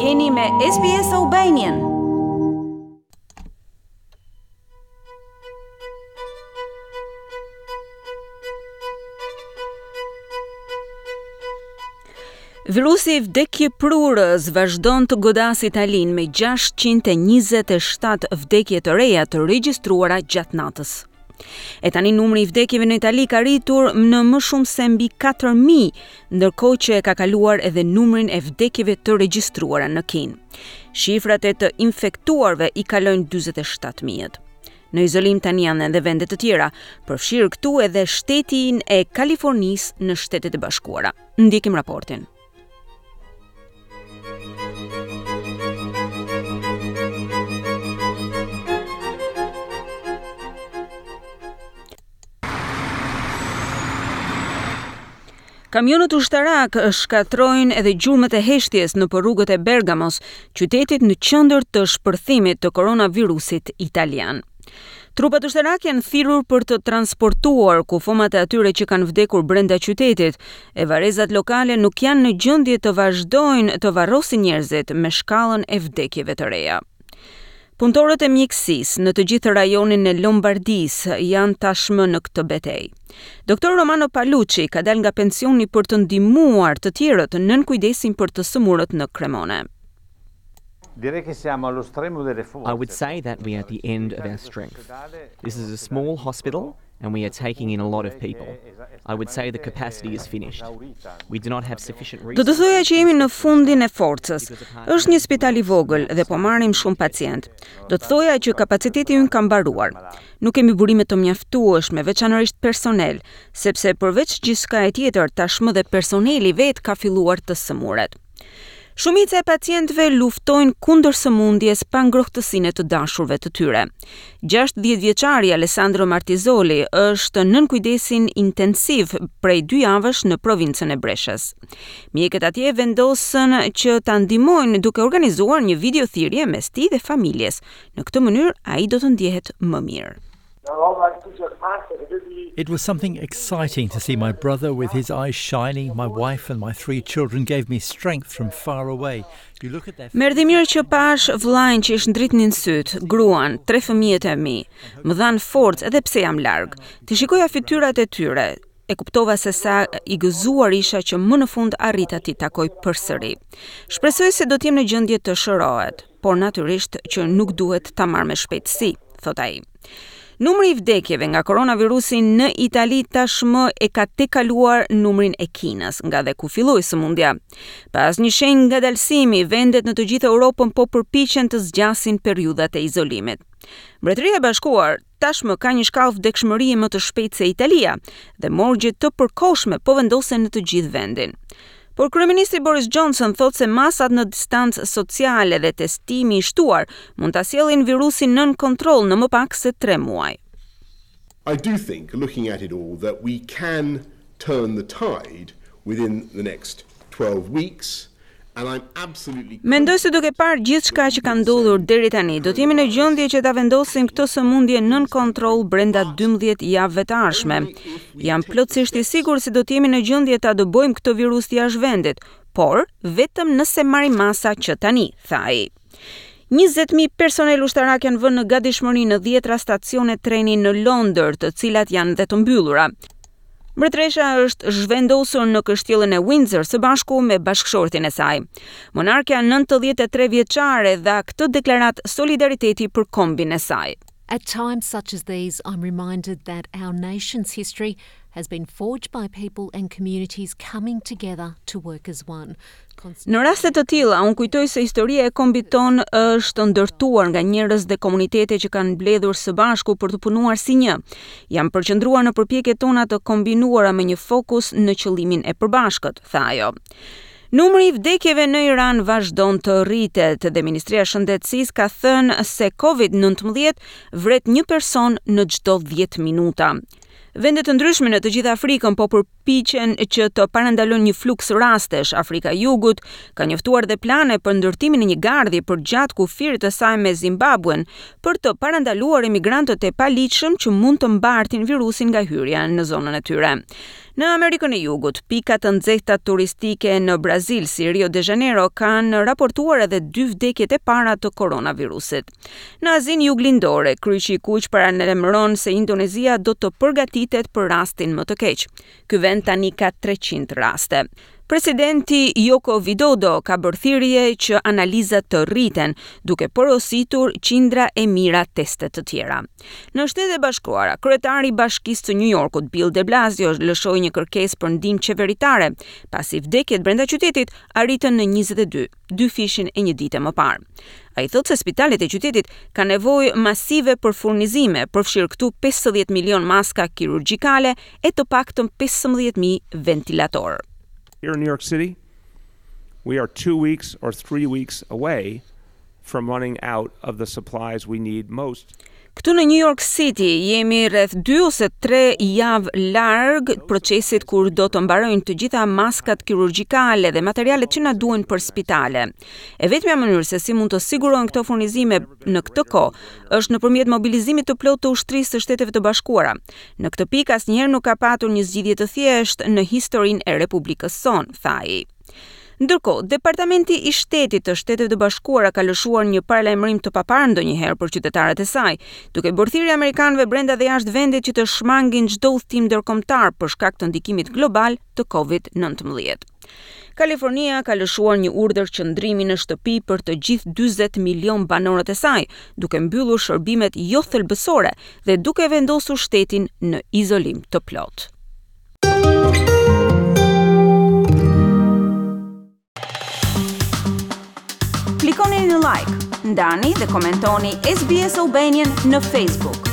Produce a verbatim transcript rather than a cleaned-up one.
Jeni me S B S Albanian. Virusi vdekjeprurës vazhdon të godasë Italinë me gjashtëqind e njëzet e shtatë vdekje të reja të regjistruara gjatë natës. E tani numri i vdekjeve në Itali ka rritur në më shumë se mbi katër mijë, ndërkohë që e ka kaluar edhe numrin e vdekjeve të regjistruara në Kinë. Shifrat e të infektuarve i kalojnë dyzet e shtatë mijë. Në izolim tani janë edhe vende të tjera, përfshirë këtu edhe shtetin e Kalifornisë në Shtetet e Bashkuara. Ndjekim raportin. Kamionët ushtarak shkatërrojnë edhe gjurmët e heshtjes në rrugët e Bergamos, qytetit në qendër të shpërthimit të koronavirusit italian. Trupat ushtarak janë thirrur për të transportuar kufomat e atyre që kanë vdekur brenda qytetit, e varrezat lokale nuk janë në gjendje të vazhdojnë të varrosin njerëzit me shkallën e vdekjeve të reja. Punëtorët e mjekësisë në të gjithë rajonin e Lombardisë janë tashmë në këtë betejë. Doktor Romano Palucci ka dalë nga pensioni për të ndihmuar të tjerët nën kujdesin për të sëmurët në Cremone. I would say that we are at the end of our strength. This is a small hospital and we are taking in a lot of people. I would say the capacity is finished. We do not have sufficient Do të thoja që jemi në fundin e forcës. Është një spital i vogël dhe po marrim shumë pacient. Do të thoja që kapaciteti ynë ka mbaruar. Nuk kemi burime të mjaftueshme, veçanërisht personel, sepse përveç gjithçka e tjetër, tashmë dhe personeli vet ka filluar të sëmuret. Shumica e pacientëve luftojnë kundër sëmundjes pa ngrohtësinë e të dashurve të tyre. gjashtëdhjetë vjeçari Alessandro Martizoli është nën kujdesin intensiv prej dy javësh në provincën e Breshës. Mjekët atje vendosën që ta ndihmojnë duke organizuar një video thirrje mes tij dhe familjes. Në këtë mënyrë ai do të ndjehet më mirë. It was something exciting to see my brother with his eyes shining. My wife and my three children gave me strength from far away. You look at their Më erdhi mirë që pash vllajin që i shndritnin syt, gruan, tre fëmijët e mi. Më dhanë forcë edhe pse jam larg. Të shikoja fytyrat e tyre, e kuptova se sa i gëzuar isha që më në fund arrita t'i takoj përsëri. Shpresoj se do të jem në gjendje të shërohet, por natyrisht që nuk duhet ta marr me shpejtësi, thot ai. Numri i vdekjeve nga koronavirusi në Itali tashmë e ka tejkaluar numrin e Kinës, nga dhe ku filloi sëmundja. Pas një shenjë ngadalësimi, vendet në të gjithë Europën po përpiqen të zgjasin periudhat e izolimit. Mbretëria e Bashkuar tashmë ka një shkallë vdekshmërie më të shpejtë se Italia dhe morgje të përkohshme po vendosen në të gjithë vendin. Por kryeministri Boris Johnson thotë se masat në distancë sociale dhe testimi i shtuar mund ta sjellin virusin nën kontroll në më pak se tre muaj. I do think, looking at it all, that we can turn the tide within the next twelve weeks. And I'm absolutely Mendoj se duke parë gjithçka që ka ndodhur deri tani, do të jemi në gjendje që ta vendosim këtë sëmundje nën kontroll brenda dymbëdhjetë javëve të ardhshme. Jam plotësisht i sigurt se do të jemi në gjendje ta dëbojmë këtë virus jashtë vendit, por vetëm nëse marrim masa që tani, tha ai. njëzet mijë personel ushtarak janë vënë në gatishmëri në dhjetra stacione treni në Londër, të cilat janë dhe të mbyllura. Mbretëresha është zhvendosur në kështjellën e Windsor së bashku me bashkëshortin e saj. Monarkja nëntëdhjetë e tre vjeçare dha këtë deklaratë solidariteti për kombin e saj. At times such as these, I'm reminded that our nation's history has been forged by people and communities coming together to work as one. Në raste të tilla, unë kujtoj se historia e kombit ton është ndërtuar nga njerëz dhe komunitete që kanë mbledhur së bashku për të punuar si një. Jam përqendruar në përpjekjet tona të kombinuara me një fokus në qëllimin e përbashkët, tha ajo. Numri i vdekjeve në Iran vazhdon të rritet dhe Ministria e Shëndetësisë ka thënë se Covid nëntëmbëdhjetë vret një person në çdo dhjetë minuta. Vende të ndryshme në të gjithë Afrikën po përpiqen që të parandalojnë një fluks rastesh. Afrika e Jugut ka njoftuar dhe plane për ndërtimin e një gardhi përgjatë kufirit të saj me Zimbabwen për të parandaluar emigrantët e paligjshëm që mund të mbartin virusin nga hyrja në zonën e tyre. Në Amerikën e Jugut, pika të nxehta turistike në Brazil si Rio de Janeiro kanë raportuar edhe dy vdekjet e para të koronavirusit. Në Azinë Juglindore, Kryqi i Kuq paralajmëron se Indonezia do të përgatitet për rastin më të keq. Ky vend tani ka treqind raste. Presidenti Joko Widodo ka bërë thirrje që analizat të rriten, duke porositur qindra e mijëra teste të tjera. Në Shtetet e Bashkuara, kryetari i Bashkisë së New Yorkut, Bill de Blasio, lëshoi një kërkesë për ndihmë qeveritare, pasi vdekjet brenda qytetit arritën në njëzet e dy, dyfishin e një dite më parë. Ai thotë se spitalet e qytetit kanë nevojë masive për furnizime, përfshirë këtu pesëdhjetë milion maska kirurgjikale e të paktën pesëmbëdhjetë mijë ventilatorë. Here in New York City, we are two weeks or three weeks away from running out of the supplies we need most. Këtu në New York City jemi rreth dy ose tre javë larg procesit kur do të mbarojnë të gjitha maskat kirurgjikale dhe materialet që na duhen për spitale. E vetmja mënyrë se si mund të sigurohen këto furnizime në këtë kohë është nëpërmjet mobilizimit të plotë të ushtrisë së Shteteve të Bashkuara. Në këtë pikë asnjëherë nuk ka patur një zgjidhje të thjeshtë në historinë e Republikës sonë, tha ai. Ndërkohë, Departamenti i Shtetit të Shteteve të Bashkuara ka lëshuar një paralajmërim të paparë ndonjëherë për qytetarët e saj, duke bërë thirrje amerikanëve brenda dhe jashtë vendit që të shmangin çdo udhëtim ndërkombëtar për shkak të ndikimit global të Covid nëntëmbëdhjetë. Kalifornia ka lëshuar një urdhër qëndrimi në shtëpi për të gjithë dyzet milion banorët e saj, duke mbyllur shërbimet jo thelbësore dhe duke vendosur shtetin në izolim të plotë. Klikoni në like, ndani dhe komentoni S B S Albanian në Facebook.